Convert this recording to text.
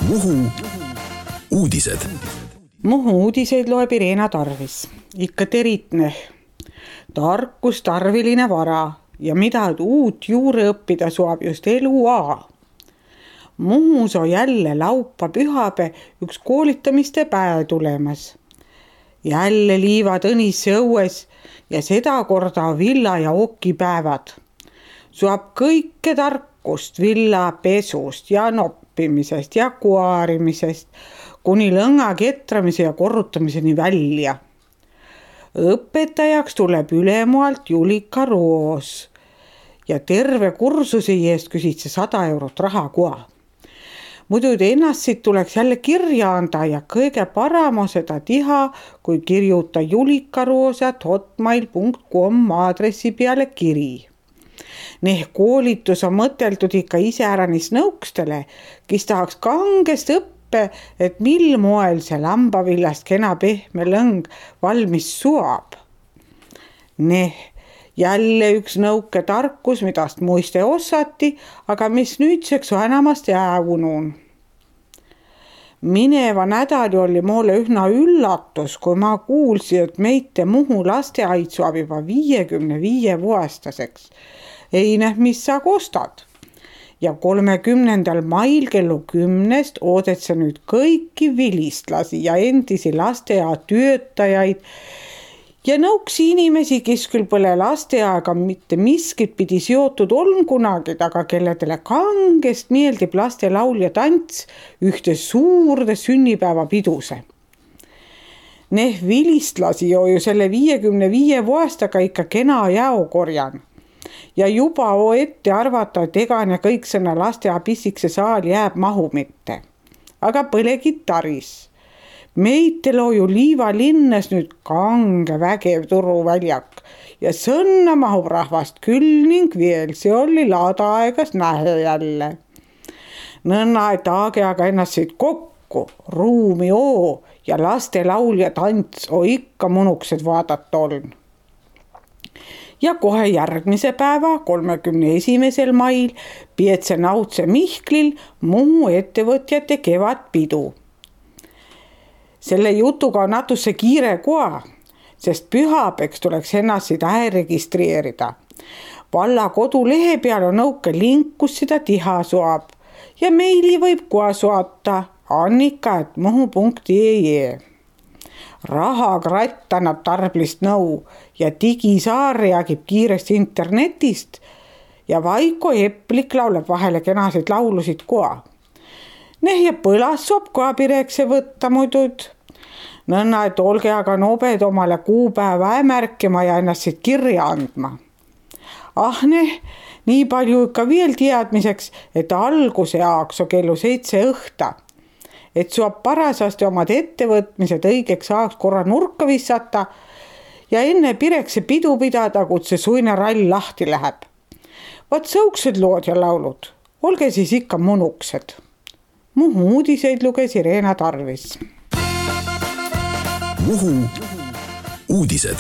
Muhu uudised. Muhu uudiseid loeb Irena Tarvis. Ikka teritne. Tarkus tarviline vara ja mida uut juurde õppida suab just eluaa. Muhus on jälle laupa pühapäev üks koolitamiste päev tulemas. Jälle liivad õnisse õues ja seda korda villa ja okipäevad. Suab kõike tarkust villa pesust ja noppimisest ja kuarimisest kuni lõnga ketramise ja korrutamiseni välja. Õpetajaks tuleb ülemualt Julika Roos ja terve kursuse eest küsid see 100 eurot raha koha. Muidu ennast siit tuleks jälle kirja anda ja kõige parem on seda teha, kui kirjuta julikaroos@hotmail.com aadressi peale kiri. Koolitus on mõteldud ikka iseäranis nõukstele, kes tahaks kangest õppe, et mil moel see lambavillast kena pehme lõng valmis suab. Jälle üks nõuke tarkus, midast muiste osati, aga mis nüüdseks on enamast jäävunuun. Mineva nädali oli mulle üsna üllatus, kui ma kuulsin, et meite Muhu lasteaid suab juba 55-aastaseks. Ei mis sa kostad. Ja 30. mail kellu 10 oodet sa nüüd kõiki vilistlasi ja endisi lasteaia töötajaid ja nõuksi inimesi, kes küll pole lasteaega mitte miskit pidi seotud on kunagi, aga kelledele kangest meeldib lastelaul ja tants ühte suurde sünnipäevapiduse. Vilistlasi on ju selle 55 aastaga ikka kena jao korjan. Ja juba ette arvata, et egane kõik sõna lasteaia pissikse saal jääb mahu mitte. Aga põlegi taris. Meitel on ju Liiva linnas nüüd kange vägev turuväljak ja sõnna mahub rahvast küll ning veel see oli laadaaegas nähe jälle. Nõnna, et aga ennast siit kokku, ruumi oo ja laste laul ja tants on ikka munuksed vaadata oln. Ja kohe järgmise päeva, 31. mail, Pietse Nautse Mihklil Muhu ettevõtjate kevadpidu. Selle jutuga on natusse kiire koha, sest pühapeks tuleks ennast seda registreerida. Valla kodulehe peal on nõuke link, kus seda tiha suab ja meili võib koha suata annika@muhu.ee. Rahakratt annab tarblist nõu ja digisaar reagib kiiresti internetist ja Vaiko Eplik laulab vahele kenasid laulusid koha. Ja põlas sob koha pirekse võtta muidud. Nõnna, et olge aga nobed omale kuupäeva märkima ja ennast siit kirja andma. Nii palju ikka veel teadmiseks, et alguse jaoks on kellu 7 õhta. Et suab parasasti omad ettevõtmised õigeks ajaks korra nurka vissata ja enne pirekse pidu pidada, kui see suine rall lahti läheb. Vaat sõuksed lood ja laulud, olge siis ikka munuksed. Muhu uudiseid luges Irena Tarvis. Muhu uudised.